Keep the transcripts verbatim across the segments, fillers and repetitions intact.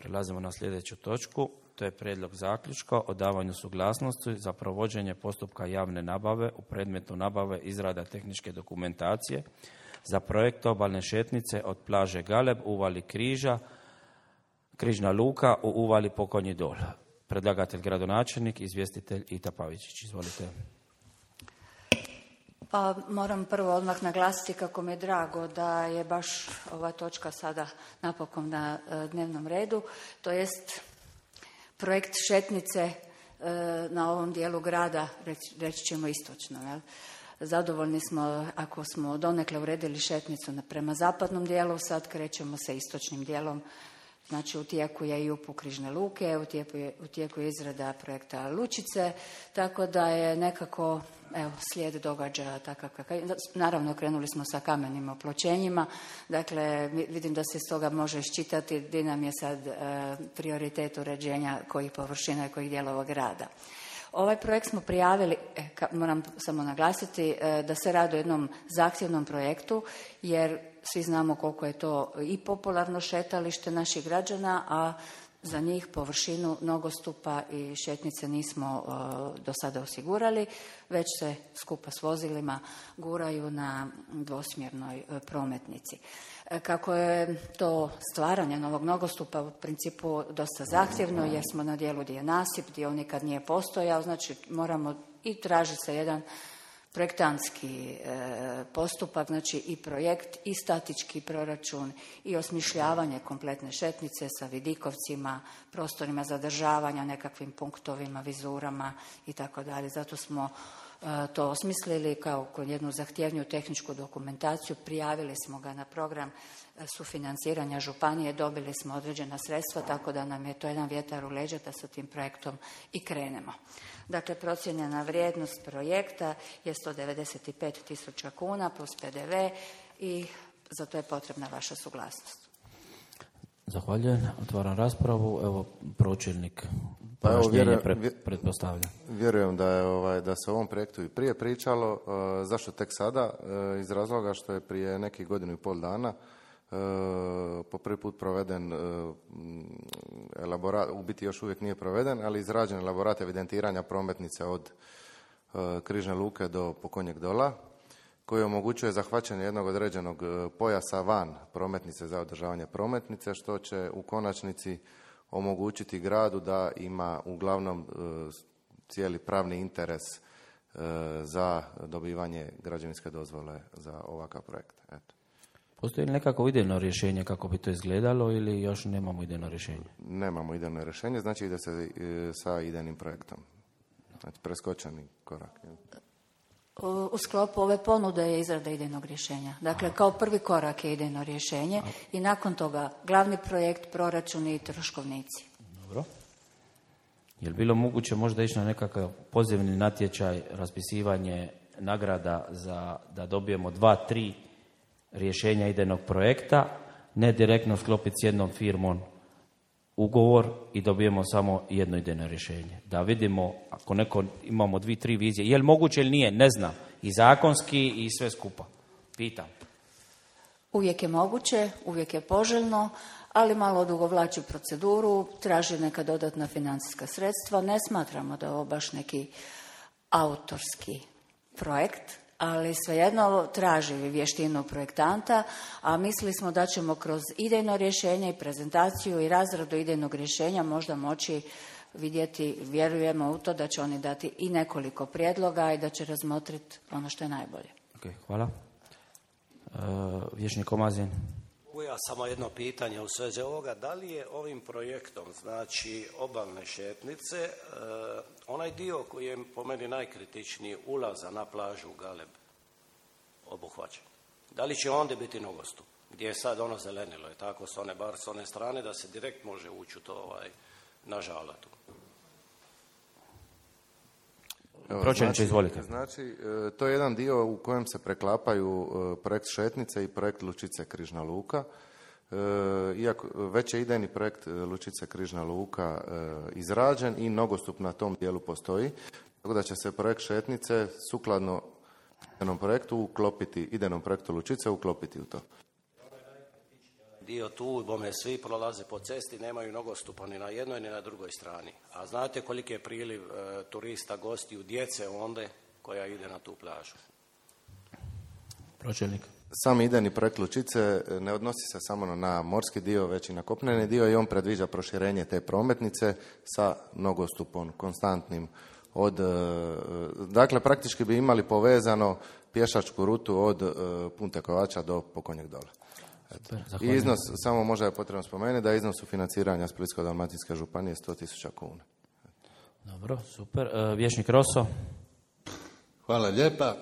Prelazimo na sljedeću točku. To je prijedlog zaključka o davanju suglasnosti za provođenje postupka javne nabave u predmetu nabave izrada tehničke dokumentacije za projekt obalne šetnice od plaže Galeb, uvali Križa, Križna luka u uvali Pokonji dol. Predlagatelj gradonačelnik, izvjestitelj Ita Pavičić. Izvolite. Pa moram prvo odmah naglasiti kako mi je drago da je baš ova točka sada napokon na dnevnom redu, to jest projekt šetnice na ovom dijelu grada, reći ćemo istočno. Jel? Zadovoljni smo ako smo donekle uredili šetnicu prema zapadnom dijelu, sad krećemo sa istočnim dijelom. Znači u tijeku je i upup Križne luke, u tijeku je, u tijeku je izrada projekta Lučice, tako da je nekako evo, slijed događaja takav kakav. Naravno krenuli smo sa kamenim opločenjima, dakle vidim da se iz toga može iščitati gdje nam je sad e, prioritet uređenja kojih površina i kojih dijelova grada. Ovaj projekt smo prijavili, e, ka, moram samo naglasiti, e, da se radi o jednom zahtjevnom projektu, jer svi znamo koliko je to i popularno šetalište naših građana, a za njih površinu nogostupa i šetnice nismo uh, do sada osigurali, već se skupa s vozilima guraju na dvosmjernoj uh, prometnici. E, kako je to stvaranje novog nogostupa u principu dosta zahtjevno, jer smo na dijelu gdje je nasip, gdje on nikad nije postojao, znači moramo i traži se jedan projektantski e, postupak, znači i projekt i statički proračun i osmišljavanje kompletne šetnice sa vidikovcima, prostorima zadržavanja, nekakvim punktovima, vizurama i tako dalje. Zato smo e, to osmislili kao kod jednu zahtjevniju tehničku dokumentaciju, prijavili smo ga na program sufinanciranja županije, dobili smo određena sredstva, tako da nam je to jedan vjetar u leđa da sa tim projektom i krenemo. Dakle, procijenjena vrijednost projekta je sto devedeset pet tisuća kuna plus P D V i za to je potrebna vaša suglasnost. Zahvaljujem. Otvaram raspravu. Evo, pročelnik pa evo, vjerujem, pred, pretpostavlja. Vjerujem da je ovaj, da se o ovom projektu i prije pričalo. Uh, zašto tek sada? Uh, iz razloga što je prije nekih godinu i pol dana Uh, po prvi put proveden uh, elaborat, u biti još uvijek nije proveden, ali izrađen elaborat evidentiranja prometnice od uh, Križne luke do Pokonjeg dola, koji omogućuje zahvaćanje jednog određenog uh, pojasa van prometnice za održavanje prometnice, što će u konačnici omogućiti gradu da ima uglavnom uh, cijeli pravni interes uh, za dobivanje građevinske dozvole za ovakav projekt. Eto. Postoji li nekako idejno rješenje kako bi to izgledalo ili još nemamo idejno rješenje? Nemamo idejno rješenje, znači ide se e, sa idejnim projektom. Znači preskočeni korak. U, u sklopu ove ponude je izrada idejnog rješenja. Dakle, kao prvi korak je idejno rješenje a. i nakon toga glavni projekt, proračuni i troškovnici. Dobro. Je li bilo moguće možda ići na nekakav pozivni natječaj, raspisivanje nagrada za da dobijemo dva, tri rješenja idejnog projekta, ne direktno sklopiti s jednom firmom ugovor i dobijemo samo jedno idejno rješenje. Da vidimo, ako neko imamo dvi, tri vizije, je li moguće ili nije, ne znam, i zakonski i sve skupa. Pitam. Uvijek je moguće, uvijek je poželjno, ali malo odugovlači proceduru, traži neka dodatna financijska sredstva. Ne smatramo da je ovo baš neki autorski projekt, ali svejedno traži vještinu projektanta, a mislili smo da ćemo kroz idejno rješenje i prezentaciju i razradu idejnog rješenja možda moći vidjeti, vjerujemo u to da će oni dati i nekoliko prijedloga i da će razmotriti ono što je najbolje. Okay, hvala. Uh, Vječnik Omazin. Ja samo jedno pitanje u svezi ovoga. Da li je ovim projektom, znači obalne šetnice, e, onaj dio koji je po meni najkritičniji ulaza na plažu Galeb obuhvaćen? Da li će onda biti nogostup? Gdje je sad ono zelenilo, je tako s one, bar s one strane, da se direkt može ući u to ovaj, na žalatu? Pročelniče, izvolite. Znači, to je jedan dio u kojem se preklapaju projekt Šetnice i projekt Lučice Križna luka. Iako već je idejni projekt Lučice Križna luka izrađen i nogostup na tom dijelu postoji, tako da će se projekt Šetnice sukladno idejnom projektu uklopiti, idejnom projektu Lučice uklopiti u to. dio tu, bome svi prolaze po cesti, nemaju nogostupa ni na jednoj ni na drugoj strani. A znate koliki je priliv e, turista, gostiju, djece onda koja ide na tu plažu? Pročelnik. Sam idejni projekt Lučice ne odnosi se samo na morski dio, već i na kopneni dio i on predviđa proširenje te prometnice sa nogostupom konstantnim. Od, dakle, praktički bi imali povezano pješačku rutu od Punte Kovača do Pokonjeg dola. I iznos, samo možda je potrebno spomenuti da je iznos sufinanciranja Splitsko-dalmatinske županije sto tisuća kuna. Dobro, super. Vječnik Roso. Hvala lijepa.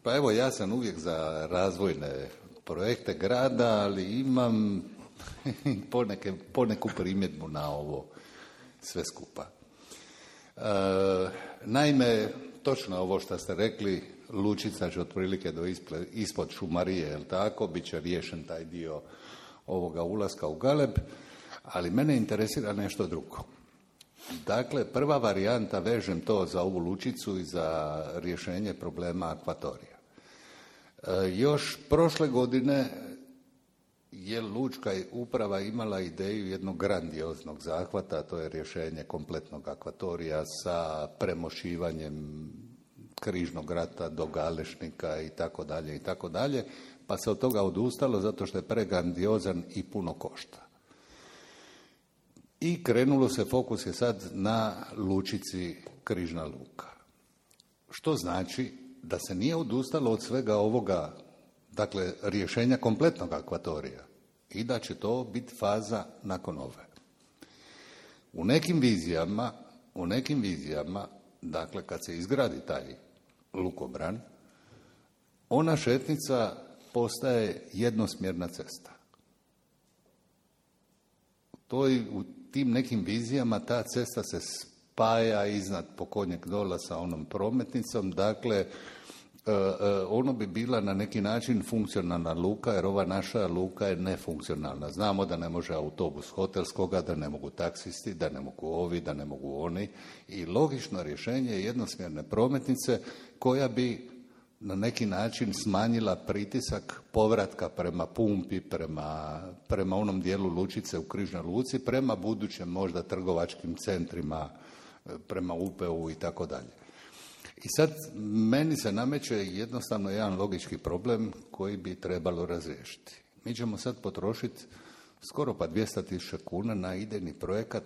Pa evo, ja sam uvijek za razvojne projekte grada, ali imam poneke, poneku primjedbu na ovo sve skupa. E, naime, točno ovo što ste rekli, Lučica će otprilike do isple, ispod Šumarije, jel tako, bit će riješen taj dio ovoga ulaska u Galeb, ali mene interesira nešto drugo. Dakle, prva varijanta, vežem to za ovu Lučicu i za rješenje problema akvatorija. E, još prošle godine je Lučka uprava imala ideju jednog grandioznog zahvata, to je rješenje kompletnog akvatorija sa premošivanjem Križnog rata do Galešnika i tako dalje i tako dalje, pa se od toga odustalo zato što je pregrandiozan i puno košta. I krenulo se, fokus je sad na Lučici Križna luka. Što znači da se nije odustalo od svega ovoga, dakle, rješenja kompletnog akvatorija i da će to biti faza nakon ove. U nekim vizijama, u nekim vizijama, dakle, kad se izgradi taj lukobran, ona šetnica postaje jednosmjerna cesta. To je u tim nekim vizijama ta cesta se spaja iznad Pokonjeg dola sa onom prometnicom, dakle, ono bi bila na neki način funkcionalna luka, jer ova naša luka je nefunkcionalna. Znamo da ne može autobus hotelskoga, da ne mogu taksisti, da ne mogu ovi, da ne mogu oni. I logično rješenje je jednosmjerne prometnice koja bi na neki način smanjila pritisak povratka prema pumpi, prema, prema onom dijelu Lučice u Križnoj luci, prema budućem možda trgovačkim centrima, prema U P U i tako dalje. I sad meni se nameće jednostavno jedan logički problem koji bi trebalo razriješiti. Mi ćemo sad potrošiti skoro pa dvjesto tisuća kuna na idejni projekat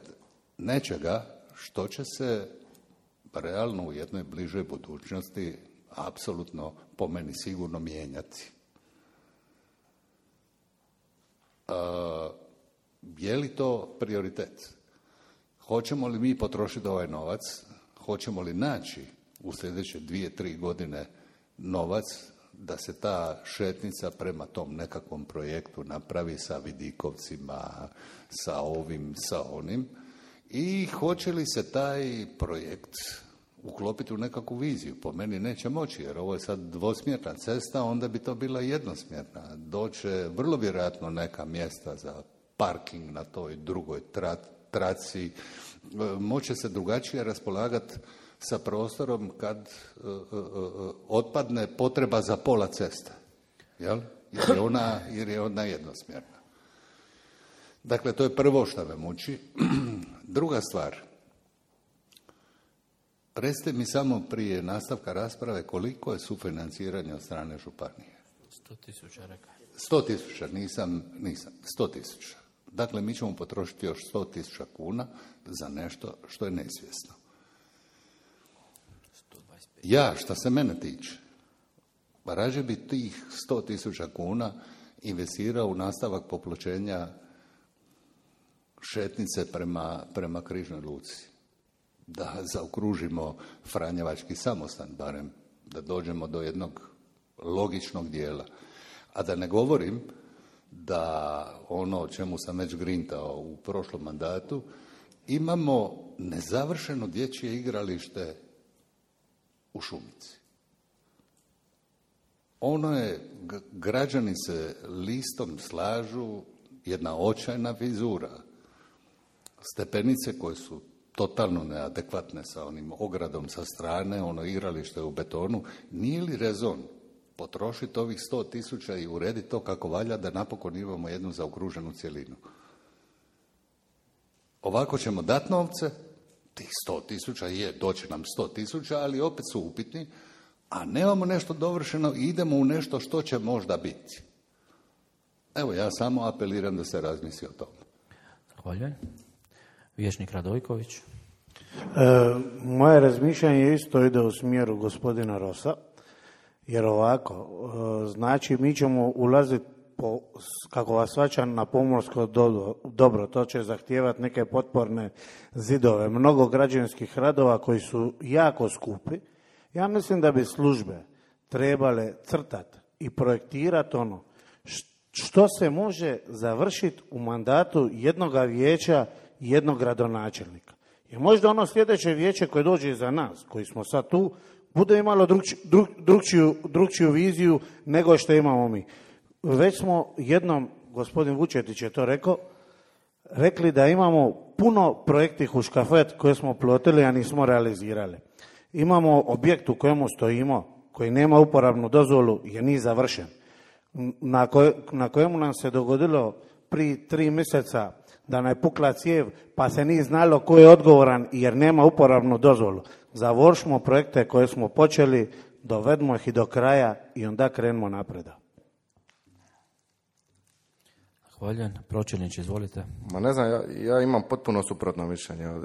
nečega što će se realno u jednoj bližoj budućnosti apsolutno po meni sigurno mijenjati. E, je li to prioritet? Hoćemo li mi potrošiti ovaj novac? Hoćemo li naći u sljedeće dvije, tri godine novac da se ta šetnica prema tom nekakvom projektu napravi sa vidikovcima, sa ovim, sa onim, i hoće li se taj projekt uklopiti u nekakvu viziju? Po meni neće moći, jer ovo je sad dvosmjerna cesta, onda bi to bila jednosmjerna. Doće vrlo vjerojatno neka mjesta za parking na toj drugoj tra, traci, moće se drugačije raspolagati sa prostorom kad uh, uh, uh, otpadne potreba za pola ceste, jel? Jer je ona, jer je ona jednosmjerna. Dakle, to je prvo što me muči. Druga stvar, recite mi samo prije nastavka rasprave koliko je sufinanciranje od strane županije. Sto tisuća rekao. Sto tisuća, nisam, nisam, sto tisuća. Dakle, mi ćemo potrošiti još sto tisuća kuna za nešto što je neizvjesno. Ja, što se mene tiče, pa rađe bi tih sto tisuća kuna investirao u nastavak popločenja šetnice prema, prema Križnoj luci. Da zaokružimo Franjevački samostan, barem da dođemo do jednog logičnog dijela. A da ne govorim da ono o čemu sam već grintao u prošlom mandatu, imamo nezavršeno dječje igralište u Šumici. Ono je, građani se listom slažu, jedna očajna vizura. Stepenice koje su totalno neadekvatne sa onim ogradom sa strane, ono igralište u betonu. Nije li rezon potrošiti ovih sto tisuća i urediti to kako valja da napokon imamo jednu zaokruženu cjelinu. Ovako ćemo dati novce, tih sto tisuća, je, doće nam sto tisuća, ali opet su upitni, a nemamo nešto dovršeno i idemo u nešto što će možda biti. Evo, ja samo apeliram da se razmisli o tome. Zahvaljujem. Vijećnik Radojković. E, moje razmišljanje isto ide u smjeru gospodina Rosa, jer ovako, e, znači mi ćemo ulaziti, po, kako vas svačam, na pomorsko dobro, dobro, to će zahtijevati neke potporne zidove, mnogo građevinskih radova koji su jako skupi. Ja mislim da bi službe trebale crtati i projektirati ono što se može završiti u mandatu jednog vijeća i jednog gradonačelnika. Jer možda ono sljedeće vijeće koje dođe iza nas, koji smo sad tu, bude imalo drugčiju, drug, drugčiju, drugčiju viziju nego što imamo mi. Već smo jednom, gospodin Vučetić je to rekao, rekli da imamo puno projektih u škafet koje smo plotili, a nismo realizirali. Imamo objekt u kojemu stojimo, koji nema uporabnu dozvolu, jer nije završen. Na, koj, na kojemu nam se dogodilo prije tri mjeseca da nam je pukla cijev, pa se nije znalo ko je odgovoran jer nema uporabnu dozvolu. Završimo projekte koje smo počeli, dovedemo ih i do kraja i onda krenemo napreda. Zahvaljujem. Pročelnić, izvolite. Ma ne znam, ja, ja imam potpuno suprotno mišljenje od,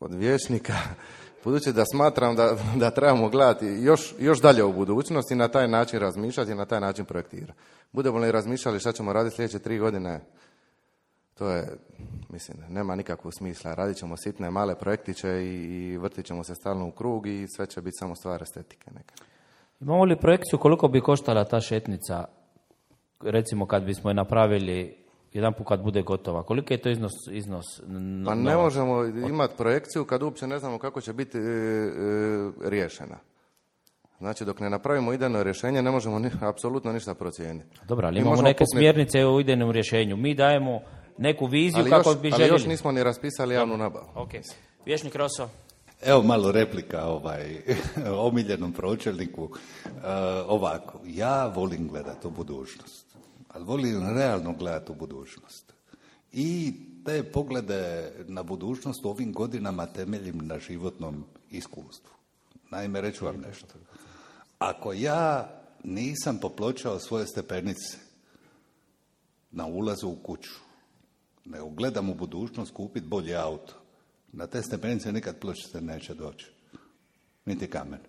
od vijećnika, budući da smatram da, da trebamo gledati još, još dalje u budućnost i na taj način razmišljati i na taj način projektirati. Budemo li razmišljali šta ćemo raditi sljedeće tri godine, to je, mislim, nema nikakvog smisla. Radit ćemo sitne, male projektiće i, i vrtit ćemo se stalno u krug i sve će biti samo stvar estetike neka. Imamo li projekciju koliko bi koštala ta šetnica, recimo kad bismo je napravili jedan put kad bude gotova? Koliko je to iznos? iznos pa ne novac? Možemo imati projekciju kad uopće ne znamo kako će biti e, e, riješena. Znači, dok ne napravimo idejno rješenje, ne možemo ni, apsolutno ništa procijeniti. Dobro, ali mi imamo neke pukniti... smjernice u idejnom rješenju. Mi dajemo neku viziju ali kako još, bi željeli. Ali još nismo ni raspisali javnu nabavu. Ok. Vijećnik Roso. Evo malo replika ovaj, omiljenom pročelniku. E, ovako, ja volim gledati u budućnost, ali volim realno gledati u budućnost. I te poglede na budućnost u ovim godinama temeljim na životnom iskustvu. Naime, reću vam nešto. Ako ja nisam popločao svoje stepenice na ulazu u kuću, nego gledam u budućnost kupiti bolji auto, na te stepenice nikad pločice neće doći. Niti kamen.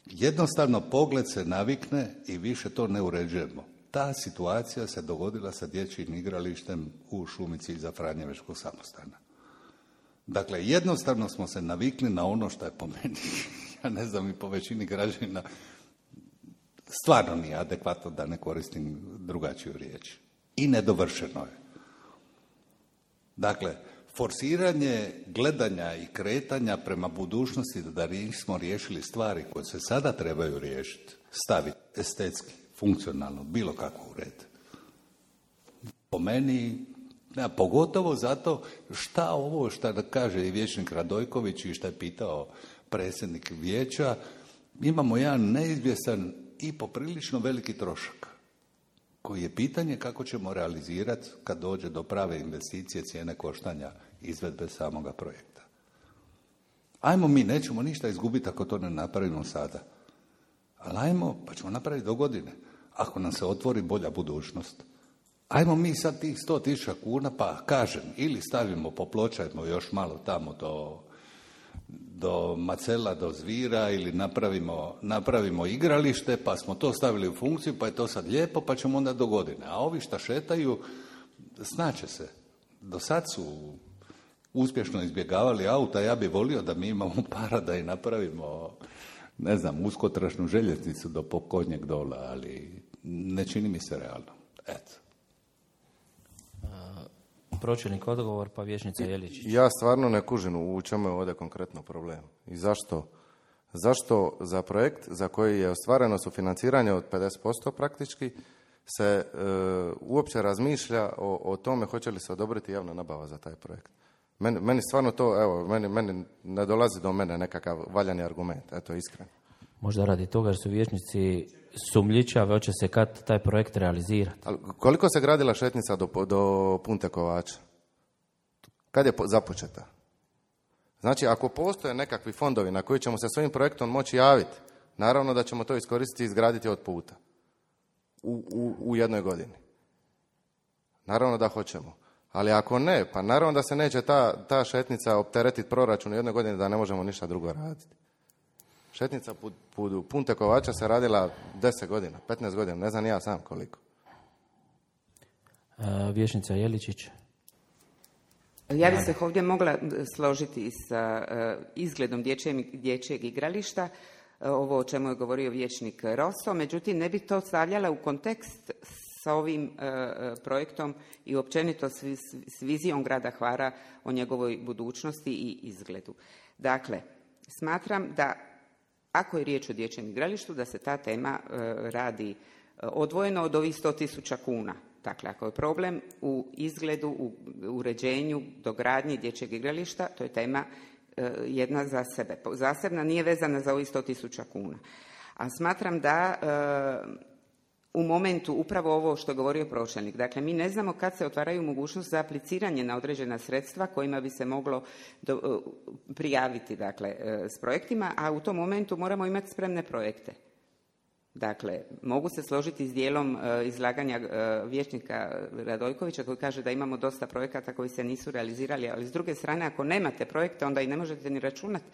Jednostavno pogled se navikne i više to ne uređujemo. Ta situacija se dogodila sa dječjim igralištem u Šumici iza Franjevačkog samostana. Dakle, jednostavno smo se navikli na ono što je po meni, ja ne znam, i po većini građana, stvarno nije adekvatno, da ne koristim drugačiju riječ. I nedovršeno je. Dakle, forsiranje gledanja i kretanja prema budućnosti da nismo riješili stvari koje se sada trebaju riješiti, staviti estetski, funkcionalno, bilo kako u red. Po meni, ja, pogotovo zato šta ovo što da kaže i vijećnik Radojković i što je pitao predsjednik vijeća, imamo jedan neizvjestan i poprilično veliki trošak, koji je pitanje kako ćemo realizirati kad dođe do prave investicije, cijene koštanja, izvedbe samoga projekta. Ajmo mi, nećemo ništa izgubiti ako to ne napravimo sada. Ali ajmo, pa ćemo napraviti do godine, ako nam se otvori bolja budućnost. Ajmo mi sad tih sto tisuća kuna, pa kažem, ili stavimo, popločajmo još malo tamo do, do Macela, do Zvira, ili napravimo, napravimo igralište, pa smo to stavili u funkciju, pa je to sad lijepo, pa ćemo onda do godine. A ovi šta šetaju, znače se. Do sad su uspješno izbjegavali auta, ja bih volio da mi imamo para da i napravimo, ne znam, uskotrašnu željeznicu do Pokonjeg dola, ali ne čini mi se realno. Eto. Pročelnik odgovor, pa vijećnica Jeličić. Ja stvarno ne kužim u čemu je ovdje konkretno problem. I zašto? Zašto za projekt za koji je ostvareno sufinanciranje od pedeset posto praktički se e, uopće razmišlja o, o tome hoće li se odobriti javna nabava za taj projekt? Meni, meni stvarno to, evo, meni, meni ne dolazi do mene nekakav valjani argument, eto iskreno. Možda radi toga jer su vijećnici sumljičave, hoće se kad taj projekt realizirati. Ali koliko se gradila šetnica do, do Punte Kovača? Kad je započeta? Znači, ako postoje nekakvi fondovi na koji ćemo se svojim projektom moći javiti, naravno da ćemo to iskoristiti i izgraditi od puta u, u, u jednoj godini. Naravno da hoćemo. Ali ako ne, pa naravno da se neće ta, ta šetnica opteretiti proračun u jednoj godini da ne možemo ništa drugo raditi. Šetnica put, put Punte Kovača se radila deset godina, petnaest godina, ne znam ja sam koliko. Uh, Vijećnica Jeličić. Ja bih se ovdje mogla složiti sa uh, izgledom dječjeg, dječjeg igrališta, uh, ovo o čemu je govorio vijećnik Rosso, međutim ne bih to stavljala u kontekst sa ovim uh, projektom i općenito s, s vizijom grada Hvara o njegovoj budućnosti i izgledu. Dakle, smatram da ako je riječ o dječjem igralištu, da se ta tema uh, radi uh, odvojeno od ovih sto tisuća kuna. Dakle, ako je problem u izgledu, u uređenju, dogradnji dječjeg igrališta, to je tema e, jedna za sebe. Zasebna nije vezana za ovih sto tisuća kuna. A smatram da e, u momentu upravo ovo što je govorio pročelnik, dakle, mi ne znamo kad se otvaraju mogućnost za apliciranje na određena sredstva kojima bi se moglo do, prijaviti dakle, e, s projektima, a u tom momentu moramo imati spremne projekte. Dakle, mogu se složiti s dijelom uh, izlaganja uh, vijećnika Radojkovića koji kaže da imamo dosta projekata koji se nisu realizirali, ali s druge strane, ako nemate projekte, onda i ne možete ni računati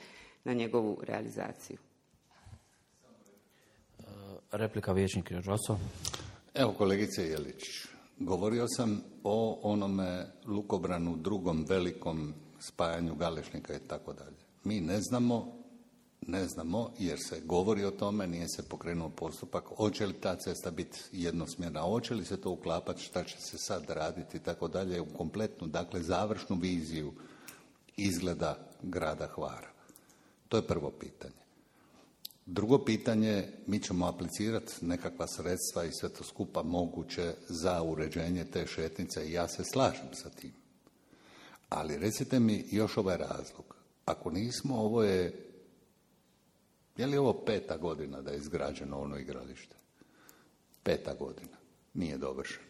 na njegovu realizaciju. Uh, replika vijećnik Rosso. Evo, kolegice Jelić, govorio sam o onome lukobranu, drugom velikom spajanju Galešnika i tako dalje. Mi ne znamo Ne znamo, jer se govori o tome, nije se pokrenuo postupak, hoće li ta cesta biti jednosmjerna, hoće li se to uklapati, šta će se sad raditi i tako dalje, u kompletnu, dakle, završnu viziju izgleda grada Hvara. To je prvo pitanje. Drugo pitanje, mi ćemo aplicirati nekakva sredstva i sve to skupa moguće za uređenje te šetnice i ja se slažem sa tim. Ali recite mi još ovaj razlog. Ako nismo, ovo je Je li ovo peta godina da je izgrađeno ono igralište? Peta godina. Nije dovršeno.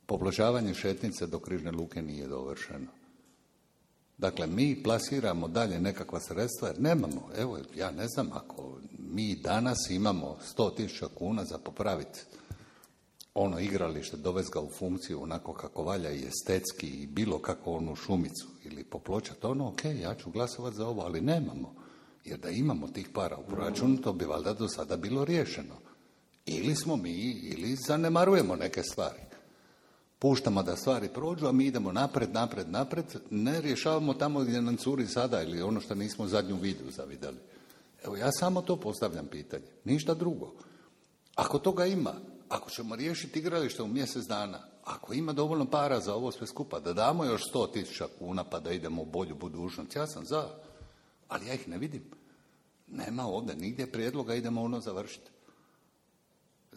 Popločavanje šetnice do Križne luke nije dovršeno. Dakle, mi plasiramo dalje nekakva sredstva jer nemamo. Evo, ja ne znam, ako mi danas imamo sto tisuća kuna za popraviti ono igralište, dovesti ga u funkciju onako kako valja i estetski i bilo kako onu šumicu ili popločati ono, ok, ja ću glasovati za ovo, ali nemamo. Jer da imamo tih para u proračunu, to bi valjda do sada bilo riješeno. Ili smo mi, ili zanemarujemo neke stvari. Puštamo da stvari prođu, a mi idemo napred, napred, napred, ne rješavamo tamo gdje nam curi sada ili ono što nismo zadnju vidu zavidjeli. Evo, ja samo to postavljam pitanje, ništa drugo. Ako toga ima, ako ćemo riješiti igralište u mjesec dana, ako ima dovoljno para za ovo sve skupa, da damo još sto tisuća kuna pa da idemo u bolju budućnost, ja sam za. Ali ja ih ne vidim. Nema ovdje nigdje prijedloga, idemo ono završiti.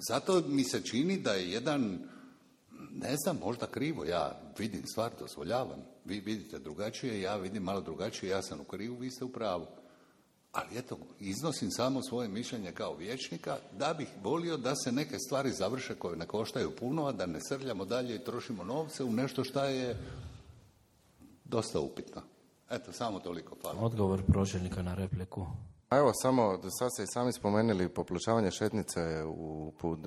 Zato mi se čini da je jedan, ne znam, možda krivo, ja vidim stvar, dozvoljavam. Vi vidite drugačije, ja vidim malo drugačije, ja sam u krivu, vi ste u pravu. Ali eto, iznosim samo svoje mišljenje kao vijećnika da bih volio da se neke stvari završe koje ne koštaju puno, a da ne srljamo dalje i trošimo novce u nešto što je dosta upitno. Eto, samo toliko, hvala. Odgovor pročelnika na repliku. Evo, samo, sad ste i sami spomenuli popločavanje šetnice u put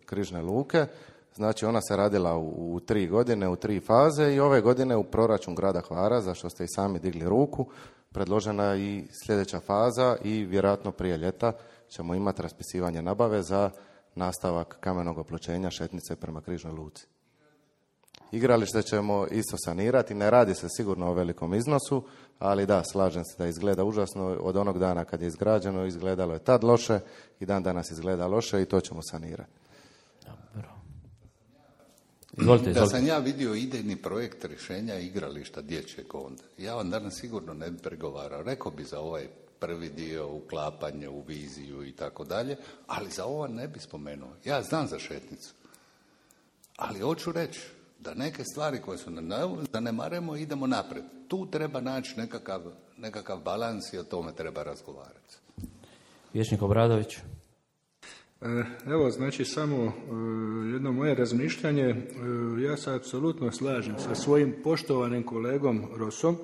Križne luke. Znači, ona se radila u, u tri godine, u tri faze i ove godine u proračun grada Hvara, za što ste i sami digli ruku, predložena i sljedeća faza i vjerojatno prije ljeta ćemo imati raspisivanje nabave za nastavak kamenog opločenja šetnice prema Križnoj luci. Igralište ćemo isto sanirati, ne radi se sigurno o velikom iznosu, ali da, slažem se da izgleda užasno. Od onog dana kad je izgrađeno, izgledalo je tad loše i dan danas izgleda loše i to ćemo sanirati. Dobro. Izvolite, izvolite. Da sam ja vidio idejni projekt rješenja igrališta dječjeg onda, ja vam danas sigurno ne bi pregovarao. Rekao bi za ovaj prvi dio, uklapanje u viziju i tako dalje, ali za ovo ne bi spomenuo. Ja znam za šetnicu, ali hoću reći da neke stvari koje su zanemarujemo idemo naprijed. Tu treba naći nekakav, nekakav balans i o tome treba razgovarati. Vječnik Obradović. Evo, znači samo jedno moje razmišljanje. Ja se apsolutno slažem sa svojim poštovanim kolegom Rosom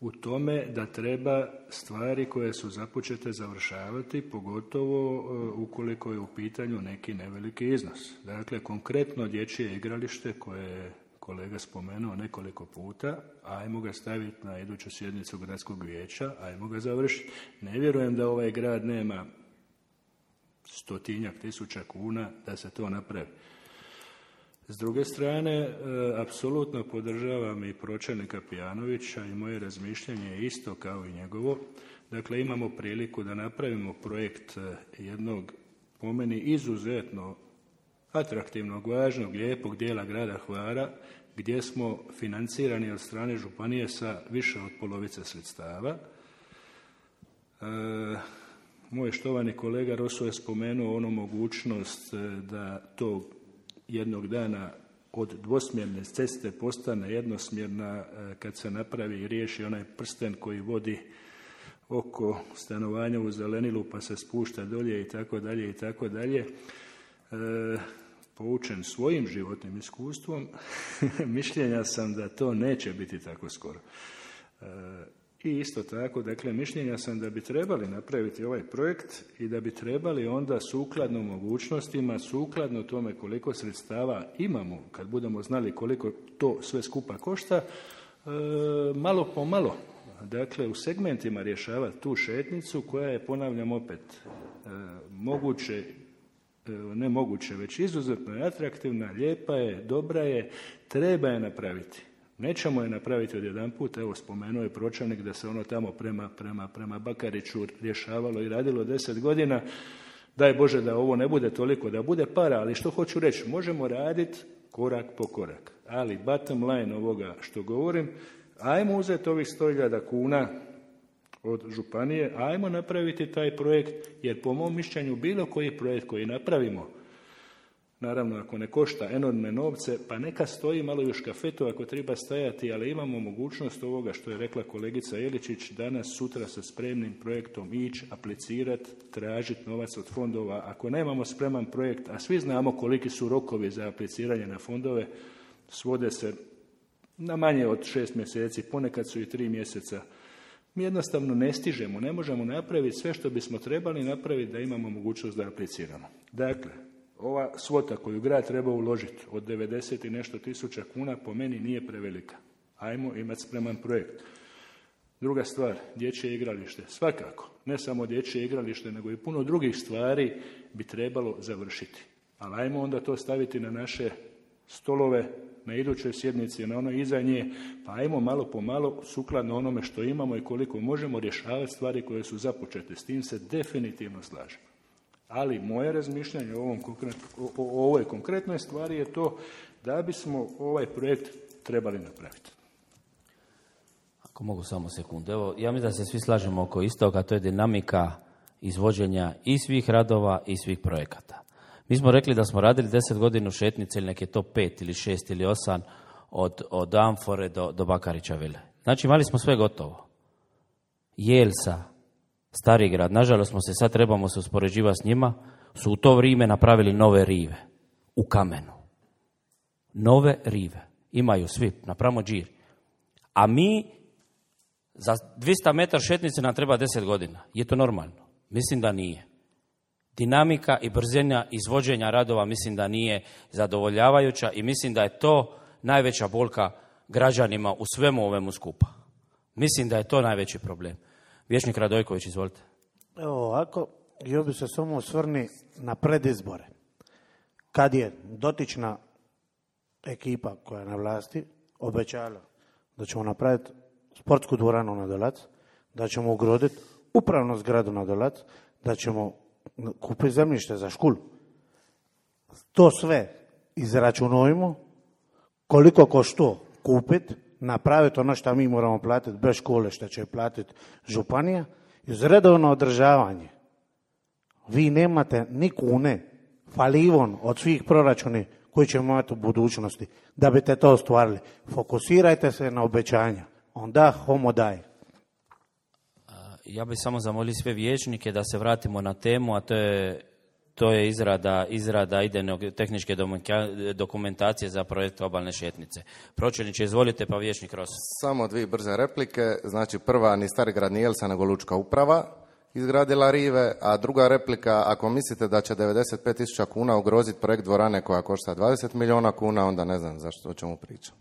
u tome da treba stvari koje su započete završavati, pogotovo ukoliko je u pitanju neki neveliki iznos. Dakle, konkretno dječje igralište koje je kolega spomenuo nekoliko puta, ajmo ga staviti na iduću sjednicu gradskog vijeća, ajmo ga završiti. Ne vjerujem da ovaj grad nema stotinjak tisuća kuna da se to napravi. S druge strane, e, apsolutno podržavam i pročelnika Pijanovića i moje razmišljanje je isto kao i njegovo. Dakle, imamo priliku da napravimo projekt jednog, po meni, izuzetno atraktivnog, važnog, lijepog dijela grada Hvara, gdje smo financirani od strane županije sa više od polovice sredstava. E, moj štovani kolega Roso je spomenuo onu mogućnost da to jednog dana od dvosmjerne ceste postane jednosmjerna kad se napravi i riješi onaj prsten koji vodi oko stanovanja u Zelenilu pa se spušta dolje i tako dalje i tako dalje. Poučen svojim životnim iskustvom, mišljenja sam da to neće biti tako skoro. E, I isto tako, dakle, mišljenja sam da bi trebali napraviti ovaj projekt i da bi trebali onda sukladno mogućnostima, sukladno tome koliko sredstava imamo, kad budemo znali koliko to sve skupa košta, e, malo po malo, dakle, u segmentima rješavati tu šetnicu koja je, ponavljam opet, e, moguće, ne moguće, već izuzetno je atraktivna, lijepa je, dobra je, treba je napraviti. Nećemo je napraviti od jedan put, evo spomenuo je pročelnik da se ono tamo prema, prema, prema Bakariću rješavalo i radilo deset godina. Daj Bože da ovo ne bude toliko, da bude para, ali što hoću reći, možemo raditi korak po korak. Ali bottom line ovoga što govorim, ajmo uzeti ovih sto hiljada kuna od županije, ajmo napraviti taj projekt, jer po mom mišljenju bilo koji projekt koji napravimo, naravno ako ne košta enormne novce, pa neka stoji malo i u škafetu ako treba stajati, ali imamo mogućnost ovoga što je rekla kolegica Jeličić, danas, sutra sa spremnim projektom ići, aplicirati, tražiti novac od fondova. Ako nemamo spreman projekt, a svi znamo koliki su rokovi za apliciranje na fondove, svode se na manje od šest mjeseci, ponekad su i tri mjeseca. Mi jednostavno ne stižemo, ne možemo napraviti sve što bismo trebali napraviti da imamo mogućnost da apliciramo. Dakle, ova svota koju grad treba uložiti od devedeset i nešto tisuća kuna po meni nije prevelika. Ajmo imati spreman projekt. Druga stvar, dječje igralište. Svakako, ne samo dječje igralište, nego i puno drugih stvari bi trebalo završiti. Ali ajmo onda to staviti na naše stolove, na idućoj sjednici, na onoj iza nje, pa ajmo malo po malo, sukladno onome što imamo i koliko možemo rješavati stvari koje su započete. S tim se definitivno slažem. Ali moje razmišljanje o, ovom konkret, o, o ovoj konkretnoj stvari je to da bismo ovaj projekt trebali napraviti. Ako mogu samo sekundu. Evo, ja mislim da se svi slažemo oko istoga, a to je dinamika izvođenja i svih radova i svih projekata. Mi smo rekli da smo radili deset godina šetnice ili neke to pet ili šest ili osam od, od Amfore do, do Bakarića vile. Znači imali smo sve gotovo. Jelsa, Stari grad, nažalost smo se sad trebamo se uspoređivati s njima, su u to vrijeme napravili nove rive u kamenu. Nove rive. Imaju svi, napravimo džir. A mi za dvjesto metara šetnice nam treba deset godina. Je to normalno? Mislim da nije. Dinamika i brzina izvođenja radova mislim da nije zadovoljavajuća i mislim da je to najveća bolka građanima u svemu ovemu skupa. Mislim da je to najveći problem. Vječnik Radojković, izvolite. Evo ovako, htio bi se samo osvrni na predizbore. Kad je dotična ekipa koja je na vlasti obećala da ćemo napraviti sportsku dvoranu na Dolac, da ćemo ugraditi upravnu zgradu na Dolac, da ćemo kupiti zemljište za školu. To sve izračunujemo, koliko košta kupiti, napraviti ono što mi moramo platiti bez škole, što će platiti županija, i uz redovno održavanje. Vi nemate ni kune, falivon od svih proračuni koji ćemo imati u budućnosti, da biste to ostvarili. Fokusirajte se na obećanja. Onda homo daje. Ja bih samo zamolio sve vijećnike da se vratimo na temu, a to je, to je izrada, izrada idejnog tehničke dokumentacije za projekt obalne šetnice. Pročelniče, izvolite, pa vijećnik Roso. Samo dvije brze replike. Znači, prva, ni Starigrad ni Elsa, nego Lučka uprava izgradila rive, a druga replika, ako mislite da će devedeset pet tisuća kuna ugroziti projekt dvorane koja košta dvadeset milijuna kuna, onda ne znam zašto, o čemu pričam.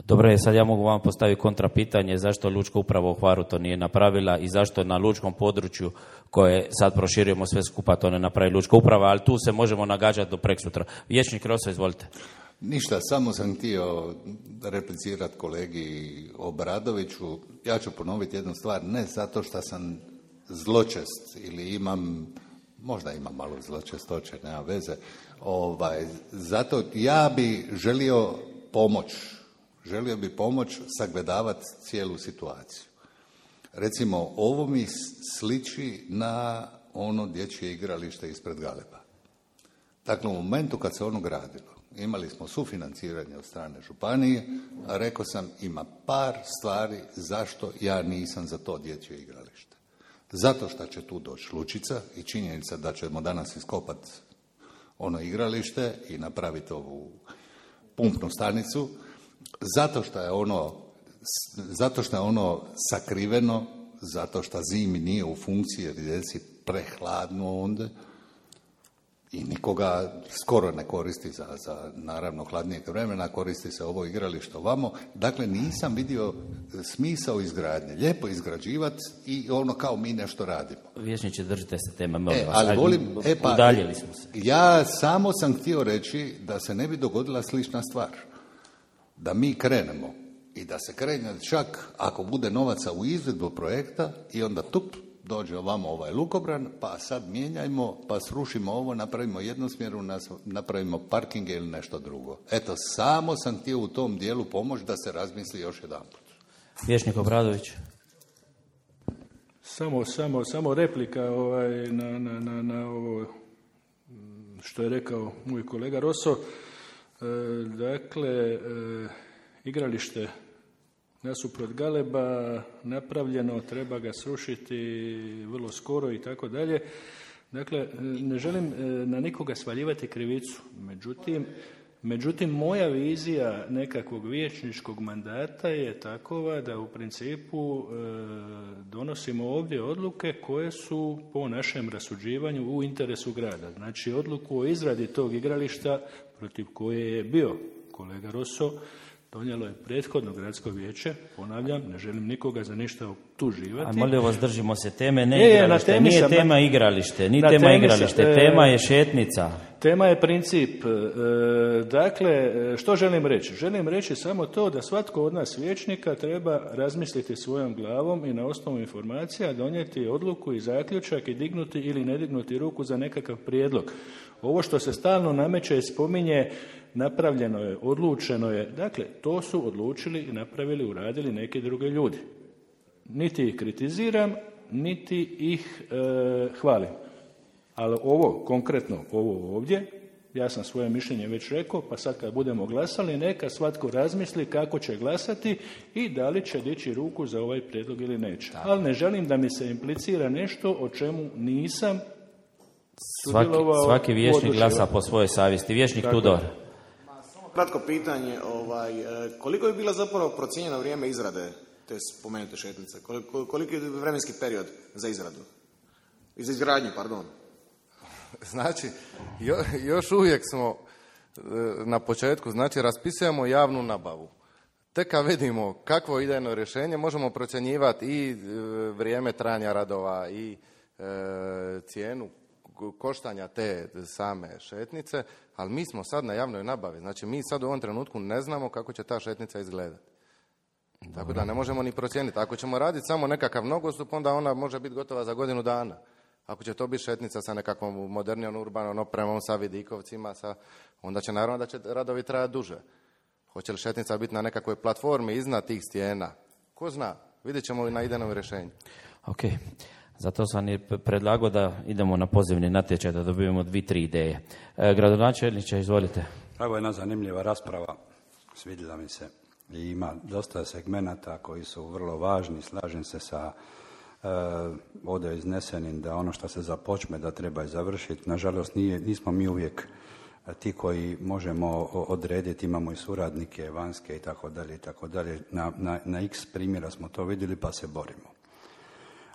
Dobro je, sad ja mogu vam postaviti kontra pitanje zašto Lučka uprava u Hvaru to nije napravila i zašto na lučkom području koje sad proširujemo sve skupa to ne napravi Lučka uprava, ali tu se možemo nagađati do preksutra. Vijećnik Roso, izvolite. Ništa, samo sam htio replicirati kolegi Obradoviću. Ja ću ponoviti jednu stvar, ne zato što sam zločest ili imam, možda imam malo zločestoće, nema veze, ovaj, zato ja bi želio pomoć, želio bi pomoć sagledavati cijelu situaciju. Recimo, ovo mi sliči na ono dječje igralište ispred Galeba. Dakle, u momentu kad se ono gradilo, imali smo sufinanciranje od strane županije, a rekao sam ima par stvari zašto ja nisam za to dječje igralište. Zato što će tu doći lučica i činjenica da ćemo danas iskopati ono igralište i napraviti ovu pumpnu stanicu, zato što je ono, zato što je ono sakriveno, zato što zimi nije u funkciji jer je djeci prehladno onda, i nikoga skoro ne koristi za, za naravno hladnijeg vremena, koristi se ovo igralište ovamo. Dakle, nisam vidio smisao izgradnje. Lijepo izgrađivati i ono kao mi nešto radimo. Vijećniče, držite se tema, molim e, vas. Ali volim, e, pa, udaljili smo se. Ja samo sam htio reći da se ne bi dogodila slična stvar. Da mi krenemo i da se krene čak ako bude novaca u izvedbu projekta i onda tup, dođe ovamo ovaj lukobran, pa sad mijenjajmo, pa srušimo ovo, napravimo jednosmjeru, napravimo parkinge ili nešto drugo. Eto, samo sam htio u tom dijelu pomoći da se razmisli još jedanput. Vijećnik Obradović. Samo, samo, samo replika ovaj, na, na, na, na ovo što je rekao moj kolega Roso. E, dakle, e, igralište nasuprot Galeba napravljeno, treba ga srušiti vrlo skoro i tako dalje. Dakle, ne želim na nikoga svaljivati krivicu. Međutim, međutim, moja vizija nekakvog vijećničkog mandata je takova da u principu e, donosimo ovdje odluke koje su po našem rasuđivanju u interesu grada. Znači, odluku o izradi tog igrališta protiv koje je bio kolega Roso, donijelo je prethodno gradsko vijeće, ponavljam, ne želim nikoga za ništa optuživati. A molim vas, držimo se teme, ne je, igralište, je, nije sam, tema na, igralište, nije tema igralište, sam, tema je šetnica. Tema je princip. E, dakle, što želim reći? Želim reći samo to da svatko od nas vijećnika treba razmisliti svojom glavom i na osnovu informacija donijeti odluku i zaključak i dignuti ili ne dignuti ruku za nekakav prijedlog. Ovo što se stalno nameće i spominje, napravljeno je, odlučeno je. Dakle, to su odlučili i napravili, uradili neki drugi ljudi. Niti ih kritiziram, niti ih e, hvalim. Ali ovo, konkretno ovo ovdje, ja sam svoje mišljenje već rekao, pa sad kad budemo glasali, neka svatko razmisli kako će glasati i da li će dići ruku za ovaj prijedlog ili neće. Ali ne želim da mi se implicira nešto o čemu nisam Svaki, svaki vijećnik glasa po svojoj savjesti. Vijećnik Tako. Tudor. Samo kratko pitanje, ovaj, koliko je bilo zapravo procijenjeno vrijeme izrade te spomenute šetnice? Koliko, koliko je vremenski period za izradu? Za izgradnju, pardon. Znači, jo, još uvijek smo na početku, znači raspisujemo javnu nabavu. Tek kad vidimo kakvo idejno rješenje, možemo procjenjivati i vrijeme trajanja radova i e, cijenu koštanja te same šetnice, ali mi smo sad na javnoj nabavi. Znači, mi sad u ovom trenutku ne znamo kako će ta šetnica izgledati. Dobro. Tako da ne možemo ni procijeniti. Ako ćemo raditi samo nekakav nogostup, onda ona može biti gotova za godinu dana. Ako će to biti šetnica sa nekakvom modernijom urbanom opremom, sa vidikovcima, sa, onda će naravno da će radovi trajati duže. Hoće li šetnica biti na nekakvoj platformi iznad tih stijena? Ko zna? Vidjet ćemo i na idejnom rješenju. Ok. Zato sam je predlagao da idemo na pozivni natječaj, da dobijemo dvi, tri ideje. E, gradonačelniče, izvolite. Ovo je jedna zanimljiva rasprava, svidjela mi se. i ima dosta segmenata koji su vrlo važni. Slažem se sa e, ovdje iznesenim da ono što se započme da treba i završiti. Nažalost, nije, nismo mi uvijek ti koji možemo odrediti, imamo i suradnike vanjske i tako dalje i tako dalje. Na, na, na x primjera smo to vidjeli pa se borimo.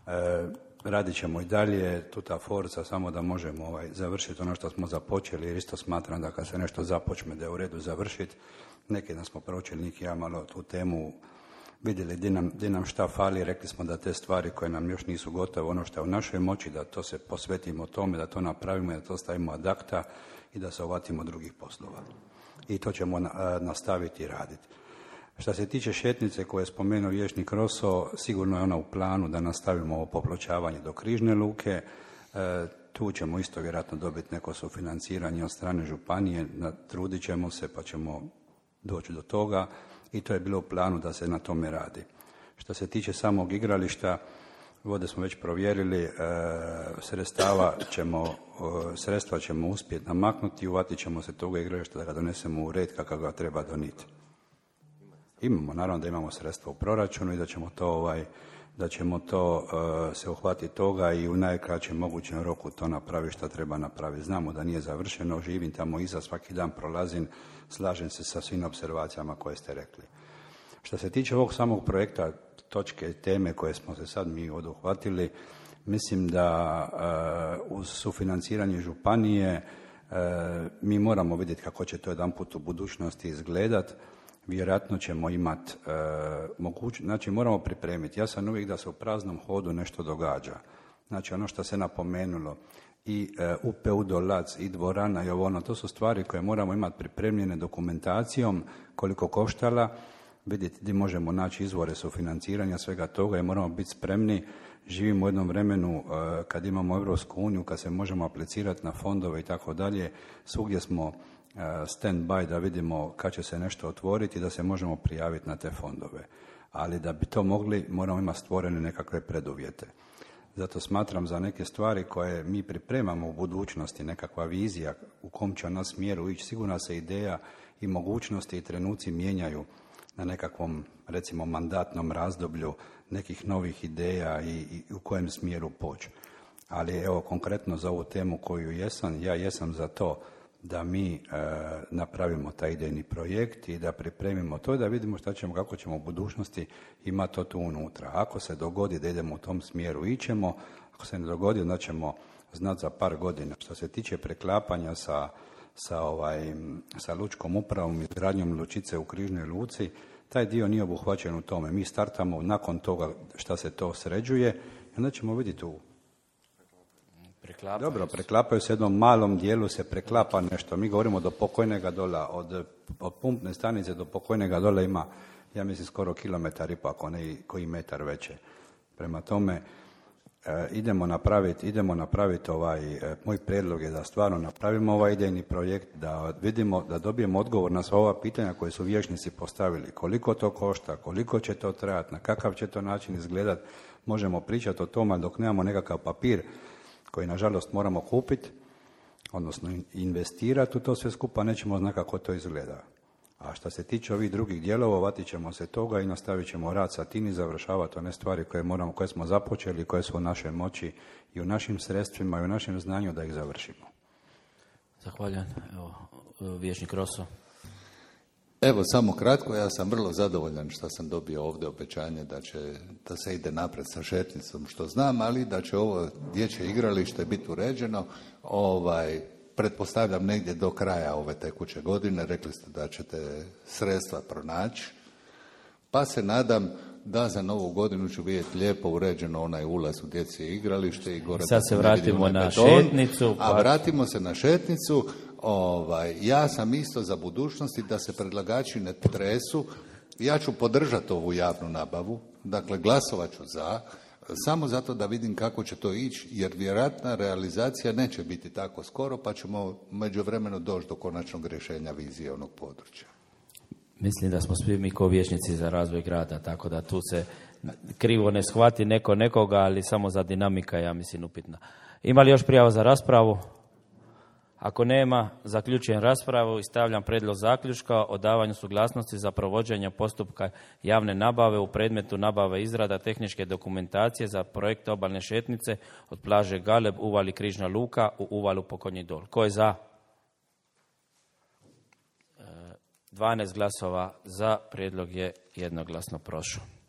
E, radit ćemo i dalje, tu ta forca, samo da možemo ovaj, završiti ono što smo započeli, jer isto smatram da kad se nešto započne da je u redu završiti. Neki dan smo proučili, Nik i ja, malo tu temu, vidjeli di nam, di nam šta fali, rekli smo da te stvari koje nam još nisu gotove, ono što je u našoj moći, da to se posvetimo tome, da to napravimo, da to stavimo ad acta i da se uvatimo drugih poslova. I to ćemo na, nastaviti raditi. Što se tiče šetnice koje je spomenuo vijećnik Roso, sigurno je ona u planu da nastavimo ovo popločavanje do Križne luke. E, tu ćemo isto vjerojatno dobiti neko sufinanciranje od strane županije, trudit ćemo se pa ćemo doći do toga i to je bilo u planu da se na tome radi. Što se tiče samog igrališta, vode smo već provjerili, e, sredstava ćemo, e, sredstva ćemo uspjeti namaknuti i uvatit ćemo se toga igrališta da ga donesemo u red kako ga treba doniti. Imamo, naravno da imamo sredstva u proračunu i da ćemo to, ovaj, da ćemo to uh, se uhvatiti toga i u najkraćem mogućem roku to napraviti što treba napraviti. Znamo da nije završeno, živim tamo iza, svaki dan prolazim, slažem se sa svim observacijama koje ste rekli. Što se tiče ovog samog projekta, točke, teme koje smo se sad mi oduhvatili, mislim da uh, uz sufinanciranje županije uh, mi moramo vidjeti kako će to jedanput u budućnosti izgledati. Vjerojatno ćemo imati e, mogućnost, znači moramo pripremiti. Ja sam uvijek da se u praznom hodu nešto događa. Znači ono što se napomenulo i e, U P U Dolac i dvorana i ovo ono, to su stvari koje moramo imati pripremljene dokumentacijom, koliko koštala, vidjeti gdje možemo naći izvore sufinanciranja svega toga i moramo biti spremni. Živimo u jednom vremenu e, kad imamo Europsku uniju, kad se možemo aplicirati na fondove i tako dalje, svugdje smo stand by da vidimo kad će se nešto otvoriti da se možemo prijaviti na te fondove. Ali da bi to mogli, moramo imati stvorene nekakve preduvjete. Zato smatram za neke stvari koje mi pripremamo u budućnosti, nekakva vizija u kom će nas smjeru ići, sigurno se ideja i mogućnosti i trenuci mijenjaju na nekakvom, recimo, mandatnom razdoblju nekih novih ideja i, i u kojem smjeru poći. Ali evo, konkretno za ovu temu koju jesam, ja jesam za to da mi e, napravimo taj idejni projekt i da pripremimo to i da vidimo šta ćemo, kako ćemo u budućnosti imati to tu unutra. Ako se dogodi da idemo u tom smjeru, ićemo. Ako se ne dogodi, onda ćemo znati za par godina. Što se tiče preklapanja sa, sa, ovaj, sa lučkom upravom i izgradnjom lučice u Križnoj luci, taj dio nije obuhvaćen u tome. Mi startamo nakon toga šta se to sređuje i onda ćemo vidjeti u Preklapaju Dobro, se. preklapaju se jednom malom dijelu, se preklapa nešto. Mi govorimo do pokojnega dola, od, od pumpne stanice do pokojnega dola ima, ja mislim, skoro kilometar i pa ako ne koji metar veće. Prema tome, e, idemo napraviti, idemo napraviti ovaj, e, moj prijedlog je da stvarno napravimo ovaj idejni projekt, da vidimo, da dobijemo odgovor na sva ova pitanja koje su vijećnici postavili. Koliko to košta, koliko će to trajati, na kakav će to način izgledati. Možemo pričati o tome, dok nemamo nekakav papir koji nažalost moramo kupiti, odnosno investirati u to sve skupa, nećemo znati kako to izgleda. A što se tiče ovih drugih dijelova, vatit ćemo se toga i nastavit ćemo rad sa tim i završavati one stvari koje, moramo, koje smo započeli, koje su u našoj moći i u našim sredstvima i u našem znanju da ih završimo. Zahvaljujem. Evo, vijećnik Roso. Evo, samo kratko, ja sam vrlo zadovoljan što sam dobio ovdje obećanje da će, da se ide napred sa šetnicom, što znam, ali da će ovo dječje igralište biti uređeno, ovaj, pretpostavljam negdje do kraja ove tekuće godine, rekli ste da ćete sredstva pronaći, pa se nadam da za novu godinu ću vidjeti lijepo uređeno onaj ulaz u dječje igralište i gore. Sad se vratimo na beton, šetnicu. Pa... A vratimo se na šetnicu. Ovaj, ja sam isto za budućnosti da se predlagači ne tresu. Ja ću podržati ovu javnu nabavu, dakle glasovat ću za, samo zato da vidim kako će to ići, jer vjerojatna realizacija neće biti tako skoro, pa ćemo međuvremeno doći do konačnog rješenja vizije onog područja. Mislim da smo svi mi kao vijećnici za razvoj grada, tako da tu se krivo ne shvati neko nekoga, ali samo za dinamika, ja mislim, upitna. Ima li još prijava za raspravu? Ako nema, zaključujem raspravu i stavljam prijedlog zaključka o davanju suglasnosti za provođenje postupka javne nabave u predmetu nabave izrada tehničke dokumentacije za projekt obalne šetnice od plaže Galeb, uvali Križna Luka u uvalu Pokonji Dol. Ko je za? dvanaest glasova za, prijedlog je jednoglasno prošao.